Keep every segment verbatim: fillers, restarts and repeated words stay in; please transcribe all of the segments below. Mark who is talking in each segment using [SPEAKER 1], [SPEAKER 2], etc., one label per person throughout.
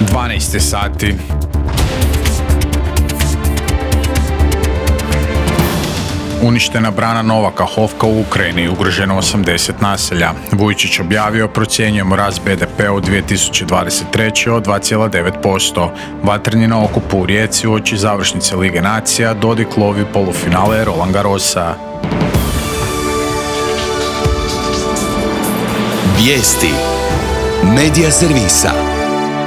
[SPEAKER 1] dvanaest sati. Uništena brana Nova Kahovka u Ukrajini, ugroženo osamdeset naselja. Vujčić objavio, procjenjujemo rast be de pe u dvije tisuće dvadeset treće. od dva zarez devet posto. Vatreni na okupu u Rijeci uoči završnice Lige nacija, Dodik lovi polufinale Roland Garrosa.
[SPEAKER 2] Vijesti Medija servisa.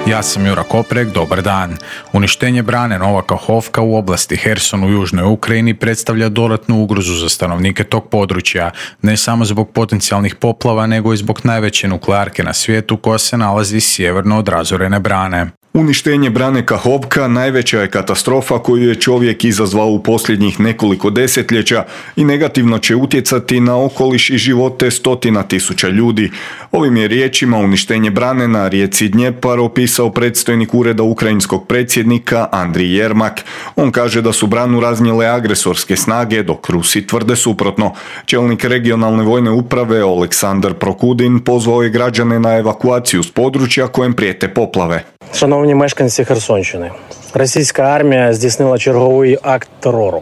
[SPEAKER 1] Ja sam Jura Koprek, dobar dan. Uništenje brane Nova Kahovka u oblasti Herson u južnoj Ukrajini predstavlja dodatnu ugrozu za stanovnike tog područja, ne samo zbog potencijalnih poplava, nego i zbog najveće nuklearke na svijetu koja se nalazi sjeverno od razorene brane.
[SPEAKER 3] Uništenje brane Kahovka najveća je katastrofa koju je čovjek izazvao u posljednjih nekoliko desetljeća i negativno će utjecati na okoliš i živote stotina tisuća ljudi. Ovim je riječima uništenje brane na rijeci Dnjepar opisao predstojnik ureda ukrajinskog predsjednika Andrij Jermak. On kaže da su branu raznijele agresorske snage, dok Rusi tvrde suprotno. Čelnik regionalne vojne uprave Oleksandar Prokudin pozvao je građane na evakuaciju s područja kojem prijete poplave.
[SPEAKER 4] Шановні мешканці Херсонщини, російська армія здійснила черговий акт терору.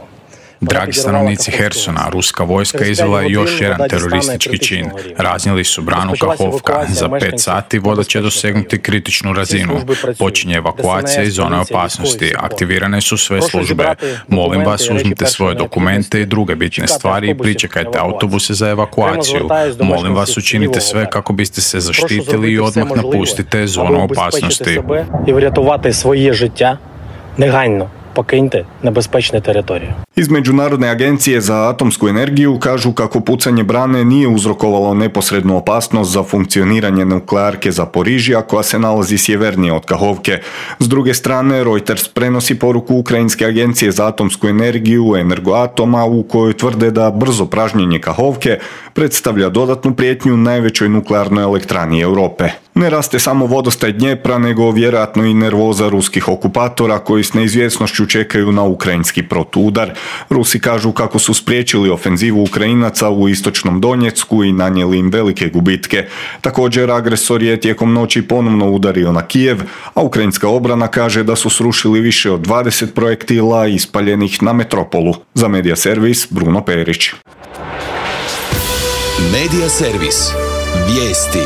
[SPEAKER 1] Dragi stanovnici Hersona, ruska vojska izvela je još jedan teroristički čin. Raznijeli su branu Kahovka. Za pet sati voda će dosegnuti kritičnu razinu. Počinje evakuacija iz zone opasnosti. Aktivirane su sve službe. Molim vas, uzmite svoje dokumente i druge bitne stvari i pričekajte autobuse za evakuaciju. Molim vas, učinite sve kako biste se zaštitili i odmah napustite zonu opasnosti.
[SPEAKER 4] І врятувати своє життя негайно. Покиньте небезпечну територію.
[SPEAKER 3] Iz Međunarodne agencije za atomsku energiju kažu kako pucanje brane nije uzrokovalo neposrednu opasnost za funkcioniranje nuklearke Zaporižja koja se nalazi sjevernije od Kahovke. S druge strane, Reuters prenosi poruku Ukrajinske agencije za atomsku energiju Energoatoma u kojoj tvrde da brzo pražnjenje Kahovke predstavlja dodatnu prijetnju najvećoj nuklearnoj elektrani Europe. Ne raste samo vodostaj Dnjepra, nego vjerojatno i nervoza ruskih okupatora koji s neizvjesnošću čekaju na ukrajinski protuudar. Rusi kažu kako su spriječili ofenzivu Ukrajinaca u istočnom Donjecku i nanijeli im velike gubitke. Također, agresor je tijekom noći ponovno udario na Kijev, a ukrajinska obrana kaže da su srušili više od dvadeset projektila ispaljenih na metropolu. Za Medija servis, Bruno Perić.
[SPEAKER 2] Medija servis. Vijesti.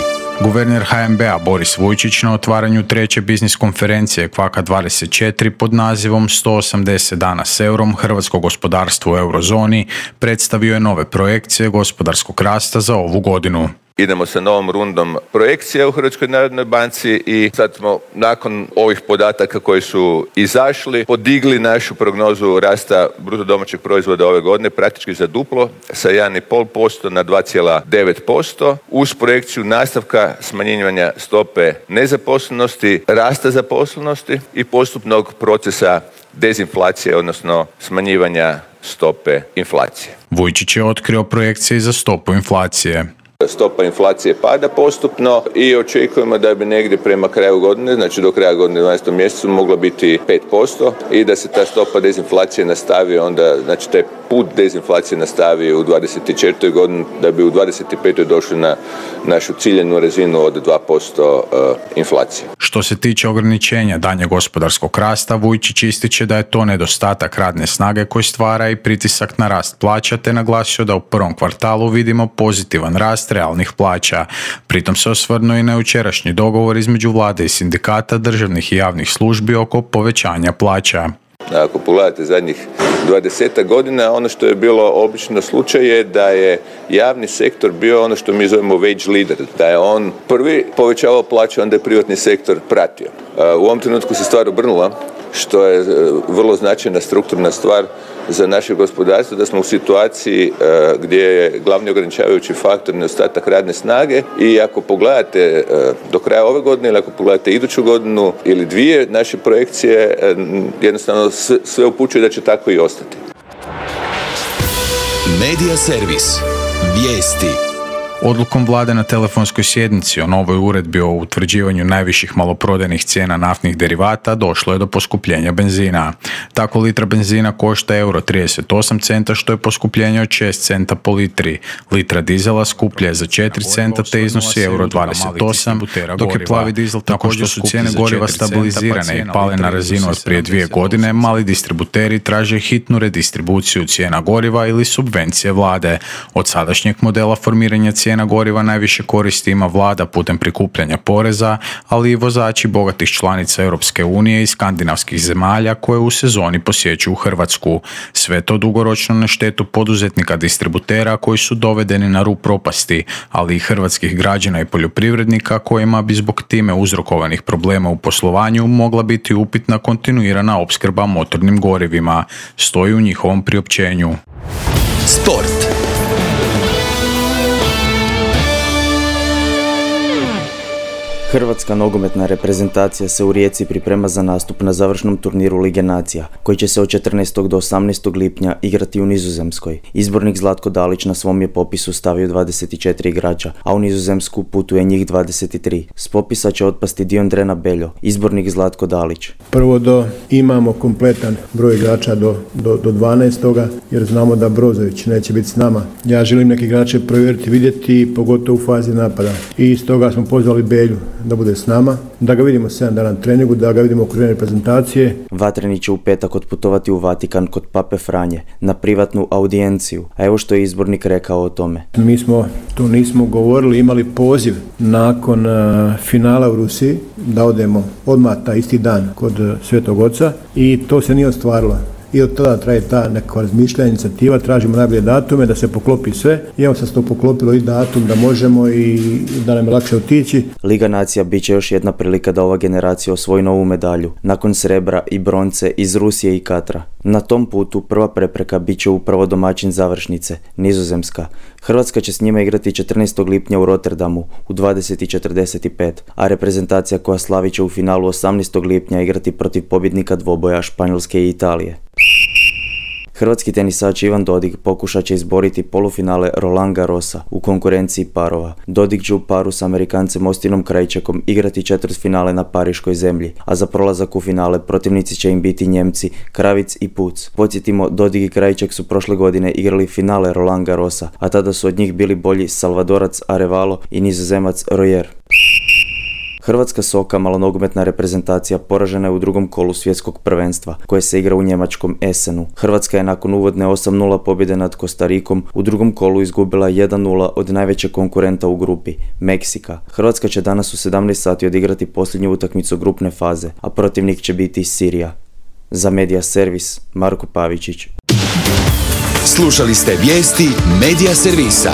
[SPEAKER 1] Guverner ha en be-a Boris Vujčić na otvaranju treće biznis konferencije Kvaka dvadeset četiri pod nazivom sto osamdeset dana s eurom, hrvatsko gospodarstvo u eurozoni, predstavio je nove projekcije gospodarskog rasta za ovu godinu.
[SPEAKER 5] Idemo sa novom rundom projekcija u Hrvatskoj narodnoj banci i sad smo nakon ovih podataka koji su izašli podigli našu prognozu rasta bruto domaćeg proizvoda ove godine praktički za duplo sa jedan zarez pet posto na dva zarez devet posto uz projekciju nastavka smanjivanja stope nezaposlenosti, rasta zaposlenosti i postupnog procesa dezinflacije, odnosno smanjivanja stope inflacije.
[SPEAKER 1] Vujčić je otkrio projekcije za stopu inflacije.
[SPEAKER 5] Stopa inflacije pada postupno i očekujemo da bi negdje prema kraju godine, znači do kraja godine u dvanaestom mjesecu mogla biti pet posto i da se ta stopa dezinflacije nastavi onda, znači taj put dezinflacije nastavi u dvadeset četvrtoj godini da bi u dvadeset petoj došli na našu ciljenu razinu od dva posto inflacije.
[SPEAKER 1] Što se tiče ograničenja daljnjeg gospodarskog rasta, Vujčić ističe da je to nedostatak radne snage koji stvara i pritisak na rast plaća, te naglasio da u prvom kvartalu vidimo pozitivan rast realnih plaća. Pritom se osvrnuo i na jučerašnji dogovor između vlade i sindikata državnih i javnih službi oko povećanja plaća.
[SPEAKER 5] Ako pogledate zadnjih dvadesetak godina, ono što je bilo obično slučaj je da je javni sektor bio ono što mi zovemo wage leader, da je on prvi povećavao plaće, onda je privatni sektor pratio. U ovom trenutku se stvar obrnula, što je vrlo značajna strukturna stvar za naše gospodarstvo, da smo u situaciji uh, gdje je glavni ograničavajući faktor nedostatak radne snage i ako pogledate uh, do kraja ove godine ili ako pogledate iduću godinu ili dvije naše projekcije, uh, jednostavno sve, sve upućuje da će tako i ostati.
[SPEAKER 2] Medija servis. Vijesti.
[SPEAKER 1] Odlukom vlade na telefonskoj sjednici o novoj uredbi o utvrđivanju najviših maloprodajnih cijena naftnih derivata došlo je do poskupljenja benzina. Tako litra benzina košta euro trideset osam centa, što je poskupljenje od šest centa po litri. Litra dizela skuplja je za četiri centa te iznosi euro dvadeset osam, dok je plavi dizel također su cijene goriva stabilizirane i pale na razinu od prije dvije godine. Mali distributeri traže hitnu redistribuciju cijena goriva ili subvencije vlade. Od sadašnjeg modela formiranja cijena goriva najviše koristi ima vlada putem prikupljanja poreza, ali i vozači bogatih članica Europske unije i skandinavskih zemalja koje u sezoni posjećuju Hrvatsku. Sve to dugoročno na štetu poduzetnika distributera koji su dovedeni na rub propasti, ali i hrvatskih građana i poljoprivrednika kojima bi zbog time uzrokovanih problema u poslovanju mogla biti upitna kontinuirana opskrba motornim gorivima, stoji u njihovom priopćenju.
[SPEAKER 2] Sport.
[SPEAKER 6] Hrvatska nogometna reprezentacija se u Rijeci priprema za nastup na završnom turniru Lige nacija, koji će se od četrnaestog do osamnaestog lipnja igrati u Nizozemskoj. Izbornik Zlatko Dalić na svom je popisu stavio dvadeset četiri igrača, a u Nizozemsku putuje njih dvadeset tri. S popisa će otpasti Diondrena Beljo, izbornik Zlatko Dalić.
[SPEAKER 7] Prvo do imamo kompletan broj igrača do, do, do dvanaestoga jer znamo da Brozović neće biti s nama. Ja želim neke igrače provjeriti, vidjeti, pogotovo u fazi napada. I stoga smo pozvali Belju da bude s nama, da ga vidimo sedam dana na treningu, da ga vidimo u okviru reprezentacije.
[SPEAKER 6] Vatreni će u petak otputovati u Vatikan kod Pape Franje na privatnu audijenciju, a evo što je izbornik rekao o tome.
[SPEAKER 7] Mi smo, to nismo govorili, imali poziv nakon uh, finala u Rusiji da odemo odmah taj isti dan kod uh, Svetog Oca i to se nije ostvarilo. I od tada traje ta neka razmišljanja, inicijativa, tražimo najbolje datume da se poklopi sve. I evo sad se to poklopilo i datum da možemo i da nam je lakše otići.
[SPEAKER 6] Liga nacija bit će još jedna prilika da ova generacija osvoji novu medalju, nakon srebra i bronce iz Rusije i Katra. Na tom putu prva prepreka bit će upravo domaćin završnice, Nizozemska. Hrvatska će s njima igrati četrnaestog lipnja u Rotterdamu u dvadeset i četrdeset pet, a reprezentacija koja slavi će u finalu osamnaestog lipnja igrati protiv pobjednika dvoboja Španjolske i Italije. Hrvatski tenisač Ivan Dodig pokušat će izboriti polufinale Roland Garrosa u konkurenciji parova. Dodig će u paru s Amerikancem Ostinom Krajčekom igrati četvrtfinale na pariškoj zemlji, a za prolazak u finale protivnici će im biti Njemci Kravic i Puc. Podsjetimo, Dodig i Krajček su prošle godine igrali finale Roland Garrosa, a tada su od njih bili bolji Salvadorac Arevalo i Nizozemac Royer. Hrvatska soka, malonogometna reprezentacija, poražena je u drugom kolu svjetskog prvenstva, koje se igra u njemačkom Essenu. Hrvatska je nakon uvodne osam nula pobjede nad Kostarikom u drugom kolu izgubila jedan nula od najvećeg konkurenta u grupi, Meksika. Hrvatska će danas u sedamnaest sati odigrati posljednju utakmicu grupne faze, a protivnik će biti Sirija. Za Media Servis, Marko Pavičić.
[SPEAKER 2] Slušali ste vijesti Media Servisa.